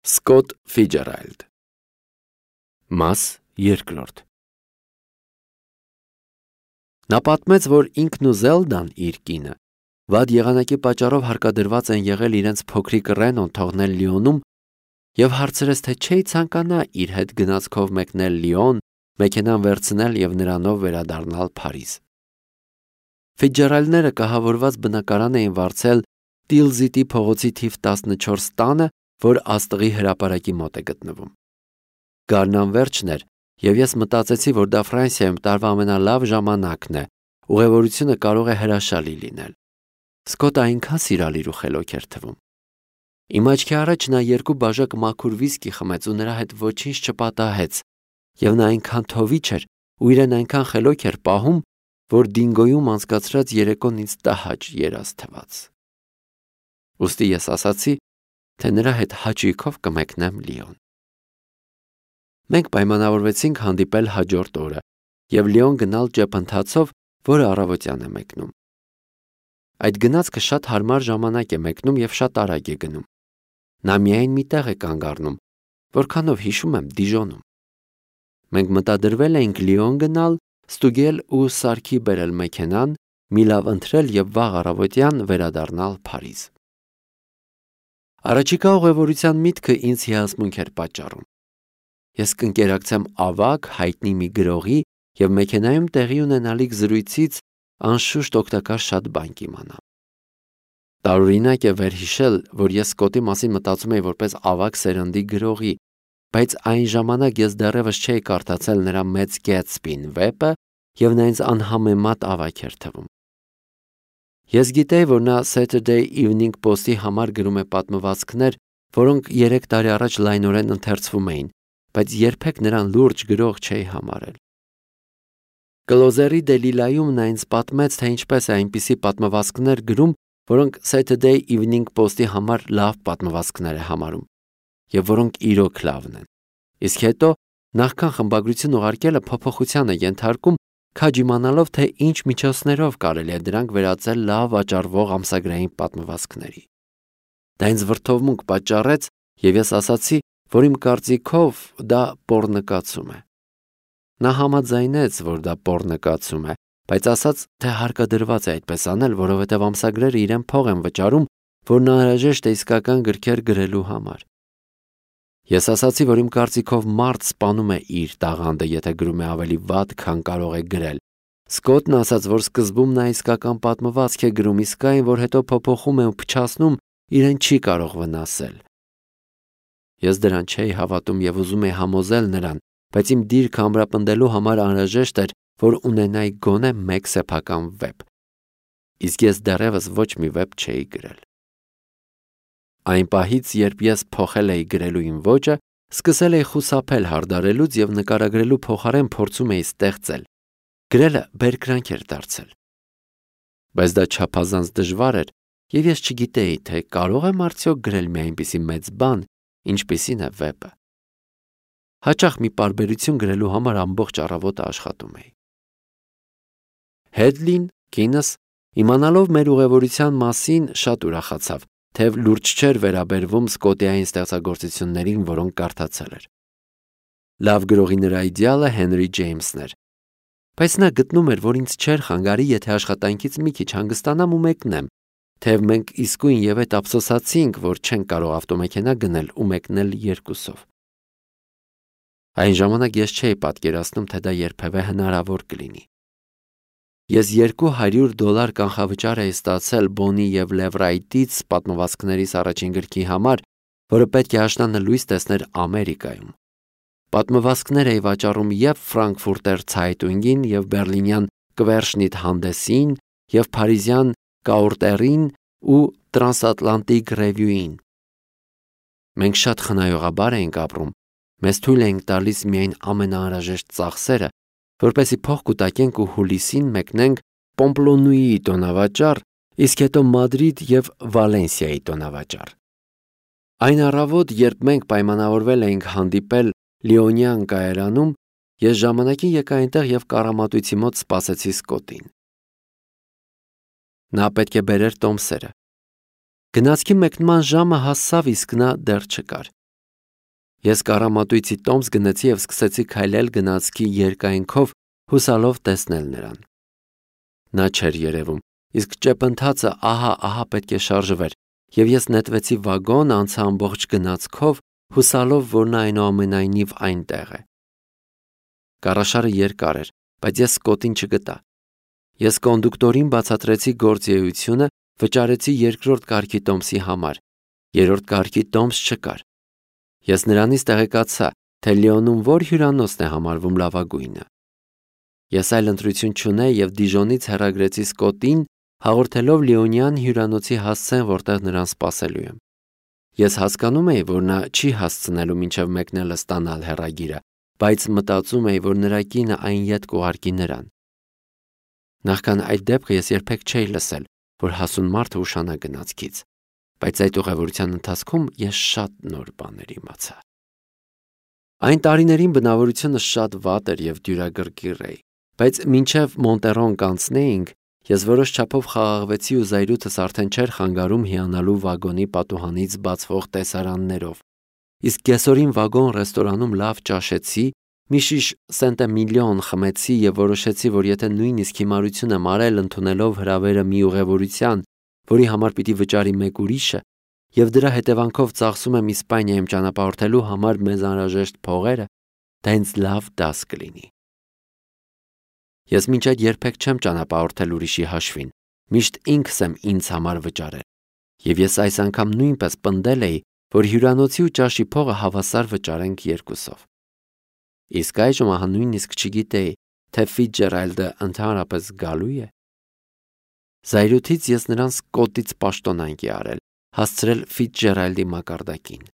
Սկոտ Ֆիջերալդ Մաս երկրորդ Նա պատմեց, որ ինքն ու Զելդան իր կինը վատ եղանակի պատճառով հարկադրված են եղել իրենց փոքրիկ Ռենոն թողնել Լիոնում և հարցրեց, թե չէի ցանկանա իր հետ գնացքով մեկնել Լիոն, մեքենան վերցնել և նրանով վերադառնալ Փարիզ։ Ֆիջերալդները կահավորված բնակարան էին վարձել Տիլզիտի փողոցի թիվ 14 տանը, որ աստղի հրապարակի մոտ է գտնվում։ Գարն անվերջն էր, և ես մտածեցի, որ դա Ֆրանսիայում տարվա ամենալավ ժամանակն է, ուղևորությունը կարող է հրաշալի լինել։ Սկոտը այնքան սիրալիր ու խելոք էր թվում։ Իմ աչքի առաջ նա 2 բաժակ մաքուր վիսկի խմեց ու նրա հետ ոչինչ չպատահեց, և նա այնքան թովիչ էր ու իրեն այնքան խելոք էր պահում, որ Դինգոյում անցկացրած երեկոն ինձ տհաճ երազ թվաց։ Ուստի ես ասացի, թե նրա հետ հաճույքով կմեկնեմ Լիոն։ Մենք պայմանավորվեցինք հանդիպել հաջորդ օրը և Լիոն գնալ ճեպընթացով, որը առավոտյան է մեկնում։ Այդ գնացքը շատ հարմար ժամանակ է մեկնում և շատ արագ է գնում։ Նա միայն մի տեղ է կանգ առնում, որքանով հիշում եմ Դիժոնում։ Մենք մտադրվել էինք Լիոն գնալ, ստուգել ու սարքի բերել մեքենան, մի լավ ընթրել և վաղ առավոտյան վերադառնալ Փարիզ։ Առաջիկա ուղևորության միտքը ինձ հիասմունք էր պատճառում։ Ես կընկերակցեմ ավագ, հայտնի մի գրողի և մեքենայում տեղի ունենալիք զրույցից անշուշտ օգտակար շատ բան կիմանամ։ Տարօրինակ է վերհիշել, որ ես Սկոտի մասին մտածում էի որպես ավագ սերնդի գրողի, բայց այն ժամանակ ես դեռևս չէի կարդացել նրա Մեծ Գեթսբին վեպը և նա ինձ անհամեմատ ավագ էր թվում։ Ես գիտեի, որ նա Saturday Evening Post-ի համար գրում է պատմվածքներ, որոնք 3 տարի առաջ լայնորեն ընթերցվում էին, բայց երբեք նրան լուրջ գրող չէի համարել։ Կլոզերի Դելիլայում նա ինձ պատմեց, թե ինչպես է այնպիսի պատմվածքներ գրում, որոնք Saturday Evening Post-ի համար լավ պատմվածքներ է համարում, և որոնք իրոք լավն են։ Իսկ հետո, նախքան խմբագրություն ուղարկելը փոփոխության է ենթարկում, քաջ իմանալով, թե ինչ միջոցներով կարելի է դրանք վերածել լավ վաճառվող ամսագրային պատմվածքների։ Դա ինձ վրդովմունք պատճառեց, և ես ասացի, որ իմ կարծիքով դա պոռնկացում է։ Նա համաձայնեց, որ դա պոռնկացում է, բայց ասաց, թե հարկադրված է այդպես անել, որովհետև ամսագրերը իրեն փող են վճարում, որն անհրաժեշտ է իսկական գրքեր գրելու համար։ Ես ասացի, որ իմ կարծիքով մարդ սպանում է իր տաղանդը, եթե գրում է ավելի վատ, քան կարող է գրել։ Սկոտն ասաց, որ սկզբում նա իսկական պատմվածք է գրում, իսկ այն, որ հետո փոփոխում է ու փչացնում, իրեն չի կարող վնասել։ Ես դրան չէի հավատում և ուզում էի համոզել նրան, բայց իմ դիրքը ամրապնդելու համար անհրաժեշտ էր, որ ունենայի գոնե 1 սեփական վեպ։ Իսկ ես դեռևս ոչ մի վեպ չէի գրել։ Այն պահից, երբ ես փոխել էի գրելու իմ ոճը, սկսել էի խուսափել հարդարելուց և նկարագրելու փոխարեն փորձում էի ստեղծել։ Գրելը բերկրանք էր դարձել։ Բայց դա չափազանց դժվար էր, և ես չգիտեի, թե կարող եմ արդյոք գրել մի այնպիսի մեծ բան, ինչպիսին է վեպը։ Հաճախ մի պարբերություն գրելու համար ամբողջ առավոտը աշխատում էի։ Հեդլին, կինս, իմանալով մեր ուղևորության մասին, շատ ուրախացավ, թեև լուրջ չէր վերաբերվում Սկոտի այն ստեղծագործություններին, որոնք կարդացել էր։ Լավ գրողի նրա իդեալը Հենրի Ջեյմսն էր, բայց նա գտնում էր, որ ինձ չէր խանգարի, եթե աշխատանքից մի քիչ հանգստանամ ու մեկնեմ, թեև մենք իսկույն և այդ ափսոսացինք, որ չենք կարող ավտոմեքենա գնել ու մեկնել 2-ով։ Այն ժամանակ ես չէի պատկերացնում, թե դա երբևէ հնարավոր կլինի։ Ես $200 կանխավճար էի ստացել Բոնի և Լևրայտից պատմվածքներիս առաջին գրքի համար, որը պետք է աշնանը լույս տեսներ Ամերիկայում։ Պատմվածքներ էի վաճառում և Ֆրանկֆուրտեր Ցայտունգին, և բեռլինյան Querschnitt Handessին, և փարիզյան Կաուրտերին ու Transatlantic Review-ին։ Մենք շատ խնայողաբար էինք ապրում, մեզ թույլ էինք տալիս միայն ամենաանհրաժեշտ ծախսերը, որպեսզի փող կուտակենք ու հուլիսին մեկնենք Պոմպլոնուիի տոնավաճառ, իսկ հետո Մադրիդ և Վալենսիայի տոնավաճառ։ Այն առավոտ, երբ մենք պայմանավորվել էինք հանդիպել Լիոնյան կայարանում, ես ժամանակին եկա այնտեղ և կառամատույցի մոտ սպասեցի Սկոտին։ Նա պետք է բերեր տոմսերը։ Գնացքի մեկնման ժամը հասավ, իսկ նա դեռ չկար։ Ես կառամատույցի տոմս գնացի եւ սկսեցի քայլել գնացքի երկայնքով, հուսալով տեսնել նրան։ Նա չէր երևում, իսկ ճեպընթացը ահա պետք է շարժվեր, եւ ես նետվեցի վագոն, անցա ամբողջ գնացքով, հուսալով, որ նա այնուամենայնիվ այնտեղ է։ Կառաշարը երկար էր, բայց ես Սկոտին չգտա։ Ես կոնդուկտորին բացատրեցի գործիեությունը, վճարեցի երկրորդ կարգի տոմսի համար, երրորդ կարգի տոմս չկար։ Ես նրանից տեղեկացա, թե Լիոնում որ հյուրանոցն է համարվում լավագույնը։ Ես այլ ընտրություն չունեի եւ Դիժոնից հեռագրեցի Սկոտին, հաղորդելով Լիոնյան հյուրանոցի հասցեն, որտեղ նրան սպասելու եմ։ Ես հասկանում էի, որ նա չի հասցնելու մինչև մեկնելը ստանալ հեռագիրը, բայց մտածում էի, որ նրա կինը այն ետ կուղարկի նրան։ Նախքան այդ դեպքը ես երբեք չէի լսել, որ հասուն մարդը ուշանա գնացքից, բայց այդ ուղևորության ընթացքում ես շատ նոր բաներ իմացա։ Այն տարիներին բնավորությունը շատ վատ էր եւ դյուրագրգիռ էի, բայց մինչև Մոնտերոն կանցնեինք, ես որոշ չափով խաղաղվեցի ու զայրույթս արդեն չէր խանգարում հիանալու վագոնի պատուհանից բացվող տեսարաններով։ Իսկ կեսօրին վագոն ռեստորանում լավ ճաշեցի, մի շիշ սենտեմիլիոն խմեցի եւ որոշեցի, որ եթե նույնիսկ հիմարություն եմ արել ընդունելով հրավերը մի ուղևորության, որի համար պիտի վճարի մեկ ուրիշը, եւ դրա հետևանքով ծախսում եմ Իսպանիայում ճանապարհորդելու համար մեզ անհրաժեշտ փողերը, դա ինձ լավ դաս կլինի։ Ես մինչ այդ երբեք չեմ ճանապարհորդել ուրիշի հաշվին, միշտ ինքս եմ ինձ համար վճարել, եւ ես այս անգամ նույնպես պնդել էի, որ հյուրանոցի ու ճաշի փողը հավասար վճարենք երկուսով։ Իսկ այժմ ահա նույնիսկ չգիտեի, թե Ֆիցջերալդը ընդհանրապես գալու է։ Զայրույթից ես նրան Սկոտից պաշտոնանկ արել, հասցրել Ֆիցջերալդի մակարդակին։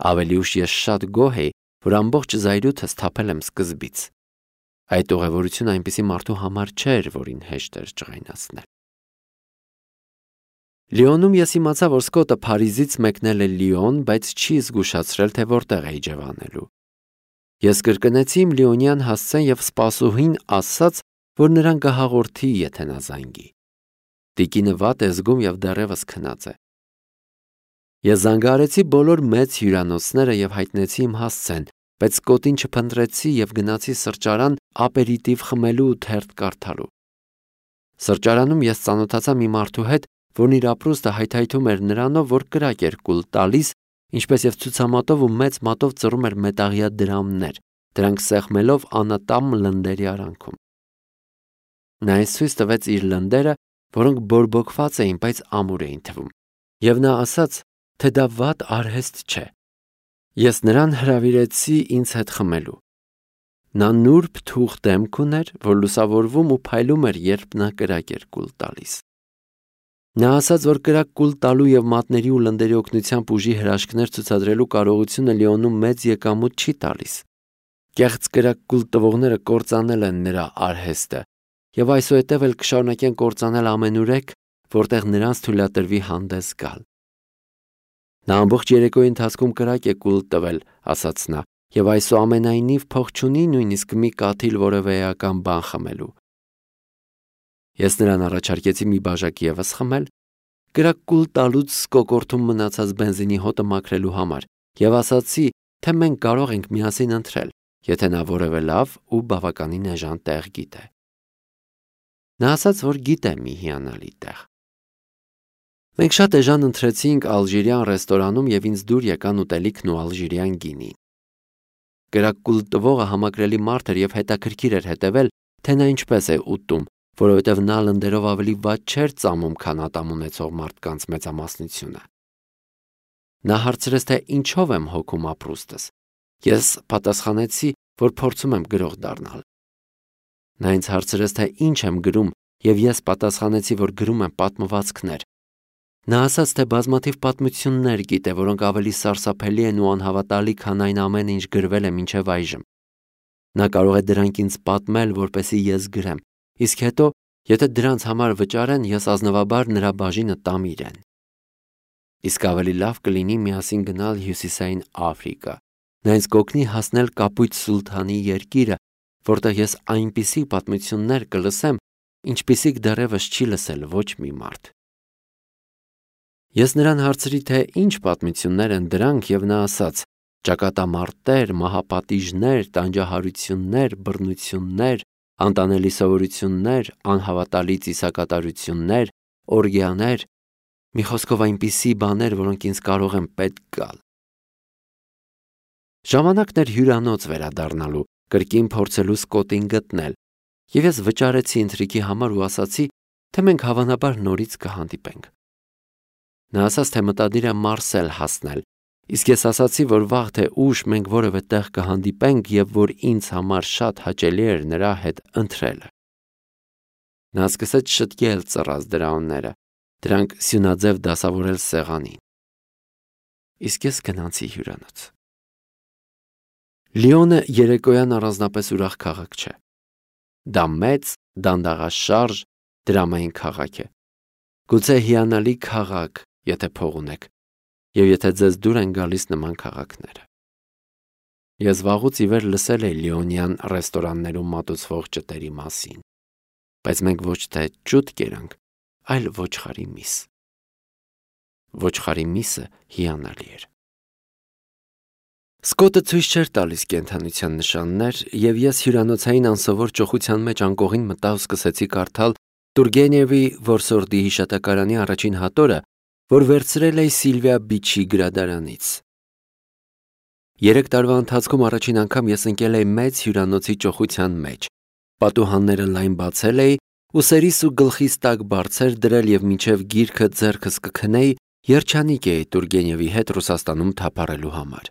Ավելի ուշ ես շատ գոհ էի, որ ամբողջ զայրույթս թափել եմ սկզբից։ Այդ ուղևորությունը այնպիսի մարդու համար չէր, որին հեշտ էր ջղայնացնել։ Լիոնում ես իմացա, որ Սկոտը Փարիզից մեկնել է Լիոն, բայց չի զգուշացրել, թե որտեղ է իջևանելու։ Ես կրկնեցի իմ լիոնյան հասցեն եւ սպասուհին ասաց, որ նրան կհաղորդի, եթե նա զանգի։ Տիկինը վատ է զգում եւ դեռևս քնած է։ Ես զանգահարեցի բոլոր մեծ հյուրանոցները եւ հայտնեցի իմ հասցեն, բայց Սկոտին չփնտրեցի եւ գնացի սրճարան ապերիտիվ խմելու ու թերթ կարդալու։ Սրճարանում ես ծանոթացա մի մարդու հետ, որն իր ապրուստը հայթայթում էր նրանով, որ կրակ էր կուլ տալիս, ինչպես եւ ցուցամատով ու մեծ մատով ծռում էր մետաղյա դրամներ, դրանք սեղմելով անատամ լնդերի արանքում։ Նա ինձ ցույց տվեց իր լնդերը, որոնք բորբոքված էին, բայց ամուր էին թվում, եւ նա ասաց, թե դա վատ արհեստ չէ։ Ես նրան հրավիրեցի ինձ հետ խմելու։ Նա նուրբ թուղ դեմք ուներ, որ լուսավորվում ու փայլում էր, երբ նա կրակ էր կուլ տալիս։ Նա ասաց, որ կրակ կուլ տալու եւ մատների ու լնդերի օգնությամբ ուժի հրաշքներ ցուցադրելու կարողությունը Լիոնում մեծ եկամուտ չի տալիս։ Կեղծ կրակ կուլ տվողները կործանել են նրա արհեստը եւ այսուհետև էլ կշարունակեն կործանել ամենուրեք, որտեղ նրանց թույլատրվի հանդես գալ։ Նա ամբողջ երեկոյի ընթացքում կրակ է կուլ տվել, ասաց նա, եւ այսուամենայնիվ փող չունի նույնիսկ մի կաթիլ որևէ էական բան խմելու։ Ես նրան առաջարկեցի մի բաժակ ևս խմել, կրակ կուլ տալուց կոկորթում մնացած բենզինի հոտը մաքրելու համար, եւ ասացի, թե մենք կարող ենք միասին ընտրել, եթե նա որևէ լավ ու բավականին էժան տեղ գիտե։ Նա ասաց, որ գիտե մի հիանալի տեղ։ Մենք շատ էժան ընտրեցինք ալժիրյան ռեստորանում եւ ինձ դուր եկան ուտելիքն ու ալժիրյան գինին։ Կրակ կուլ տվողը համակրելի մարդ էր եւ հետաքրքիր էր հետեւել, թե նա ինչպես է ուտում, որովհետև նա լնդերով ավելի վատ չէր ծամում, քան ատամ ունեցող մարդկանց մեծամասնությունը։ Նա հարցրեց, թե ինչով եմ հոգում ապրուստս։ Ես պատասխանեցի, որ փորձում եմ գրող դառնալ։ Նա ինձ հարցրեց, թե ինչ եմ գրում, եւ ես պատասխանեցի, որ գրում եմ պատմվածքներ։ Նա ասաց, թե բազմաթիվ պատմություններ գիտե, որոնք ավելի սարսափելի են ու անհավատալի, քան այն ամենը, ինչ գրվել է մինչև այժմ։ Նա կարող է դրանք ինձ պատմել, որպեսզի ես գրեմ, իսկ հետո, եթե դրանց համար վճարեն, ես ազնվաբար նրա բաժինը տամ իրեն։ Իսկ ավելի լավ կլինի միասին գնալ Հյուսիսային Աֆրիկա։ Նա ինձ կօգնի հասնել Կապույտ Սուլթանի երկիրը, որտեղ ես այնպիսի պատմություններ կլսեմ, ինչպիսիք դեռևս չի լսել ոչ մի մարդ։ Ես նրան հարցրի, թե ինչ պատմություններ են դրանք, եւ նա ասաց, ճակատամարտեր, մահապատիժներ, տանջահարություններ, բռնություններ, անտանելի սովորություններ, անհավատալի ծիսակատարություններ, օրգիաներ, մի խոսքով այնպիսի բաներ, որոնք ինձ կարող են պետք գալ։ Ժամանակն էր հյուրանոց վերադառնալու, կրկին փորձելու Սկոտին գտնել, եւ ես վճարեցի ընթրիքի համար ու ասացի, թե մենք հավանաբար նորից կհանդիպենք։ Նա ասաց, թե մտադիր է Մարսել հասնել, իսկ ես ասացի, որ վաղ թե ուշ մենք որևէ տեղ կհանդիպենք եւ որ ինձ համար շատ հաճելի էր նրա հետ ընթրելը։ Նա սկսեց շտկել ծռած դրաունները, դրանք սյունաձև դասավորել սեղանին։ Իսկ ես գնացի հյուրանոց։ Լիոնը երեկոյան առանձնապես ուրախ քաղաք չէ։ Դա մեծ, դանդաղաշարժ, դրամային քաղաք է։ Գուցե հիանալի քաղաք, եթե փող ունեք, եւ եթե ձեզ դուր են գալիս նման քաղաքները։ Ես վաղուց ի վեր լսել էի լիոնյան ռեստորաններում մատուցվող ճտերի մասին, բայց մենք ոչ թե ճուտ կերանք, այլ ոչխարի միս։ Ոչխարի միսը հիանալի էր։ Սկոտը ցույց չէր տալիս կենդանության նշաններ, եւ ես հյուրանոցային անսովոր ճոխության մեջ անկողին մտա ու սկսեցի կարդալ Տուրգենևի որսորդի հիշատակարանի առաջին հատորը, որ վերցրել էի Սիլվիա Բիչի գրադարանից։ 3 տարվա ընթացքում առաջին անգամ ես ընկել էի մեծ հյուրանոցի ճոխության մեջ։ Պատուհանները լայն բացել էի ու սերիս ու գլխիս տակ բարձր դրել եւ մինչեւ գիրքը ձեռքս կքնեի, երջանիկ էի Տուրգենևի հետ Ռուսաստանում թափառելու համար։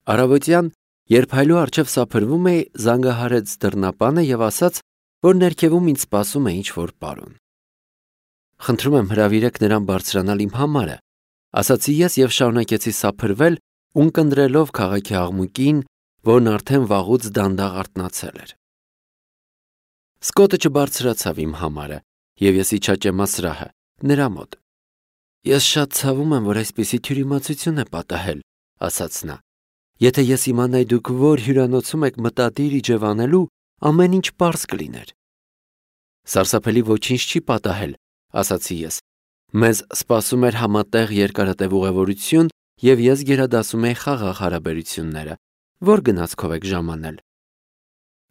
Առավոտյան, երբ հայլու առջև սափրվում էի, զանգահարեց դռնապանը եւ ասաց, որ ներքևում ինձ սպասում է ինչ-որ պարոն։ Խնդրում եմ հրավիրեք նրան բարձրանալ իմ համարը, ասացի ես եւ շարունակեցի սափրվել, ունկնդրելով քաղաքի աղմուկին, որն արդեն վաղուց դանդաղ արթնացել էր։ Սկոտը չբարձրացավ իմ համարը եւ ես իջա ճեմասրահը, նրա մոտ։ Ես շատ ցավում եմ, որ այսպիսի թյուրիմացություն է պատահել, ասաց նա։ Եթե ես իմանայի դուք որ հյուրանոցում եք մտադիր իջևանելու, ամեն ինչ պարզ կլիներ։ Սարսափելի ոչինչ չի պատահել, ասացի ես։ Մեզ սպասում էր համատեղ երկարատև ուղևորություն եւ ես գերադասում էի խաղաղ հարաբերությունները, որ գնացքով եք ժամանել։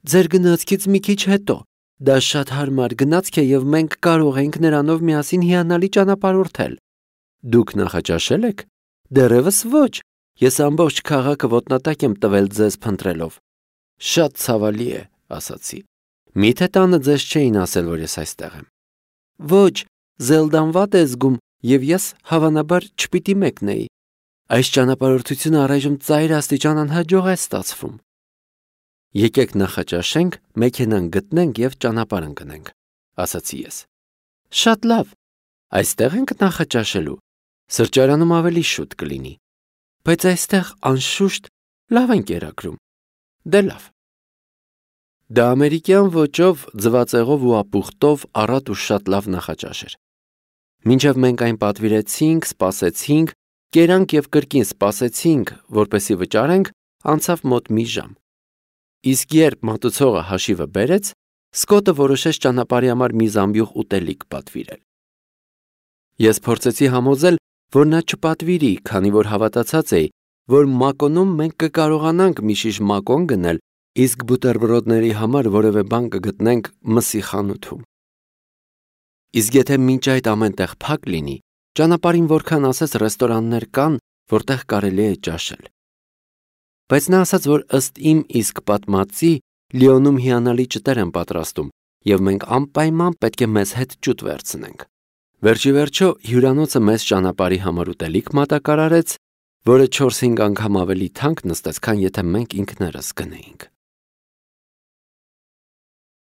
Ձեր գնացքից մի քիչ հետո, դա շատ հարմար գնացք է եւ մենք կարող ենք նրանով միասին հիանալի ճանապարհորդել։ Դուք նախաճաշել եք։ Դեռևս ոչ։ Ես ամբողջ քաղաքը ոտնատակ եմ տվել ձեզ փնտրելով։ Շատ ցավալի է, ասացի։ Միթե տանը ձեզ չէին ասել, որ ես այստեղ եմ։ Ոչ, Զելդան վատ է զգում եւ ես հավանաբար չպիտի մեկնեի։ Այս ճանապարհորդությունը առայժմ ծայր աստիճան անհաջող է ստացվում։ Եկեք նախաճաշենք, մեքենան գտնենք եւ ճանապարհ ընկնենք, ասացի ես։ Շատ լավ։ Այստեղ ենք նախաճաշելու։ Սրճարանում ավելի շուտ կլինի։ Բայց այստեղ անշուշտ լավ են կերակրում։ Դե լավ։ Դա ամերիկյան ոճով, ձվածեղով ու ապուխտով առատ ու շատ լավ նախաճաշ էր։ Մինչև մենք այն պատվիրեցինք, սպասեցինք, կերանք եւ կրկին սպասեցինք, որպեսի վճարենք, անցավ մոտ մի ժամ։ Իսկ երբ մատուցողը հաշիվը բերեց, Սկոտը որոշեց ճանապարհի համար մի զամբյուղ ուտելիք պատվիրել։ Ես փորձեցի համոզել, որ նա չպատվիրի, քանի որ հավատացած էի, որ Մակոնում մենք կկարողանանք մի շիշ մակոն գնել, իսկ բուտերբրոդների համար որևէ բան կգտնենք մսի խանութում։ Իսկ եթե մինչ այդ ամեն տեղ փակ լինի, ճանապարհին որքան ասես ռեստորաններ կան, որտեղ կարելի է ճաշել։ Բայց նա ասաց, որ ըստ իմ իսկ պատմածի Լիոնում հիանալի ճտեր են պատրաստում, եւ մենք անպայման պետք է մեզ հետ ճուտ վերցնենք։ Վերջի վերջո հյուրանոցը մեզ ճանապարհի համար ուտելիք մատակարարեց, որը 4-5 անգամ ավելի թանկ նստեց, քան եթե մենք ինքներս գնեինք։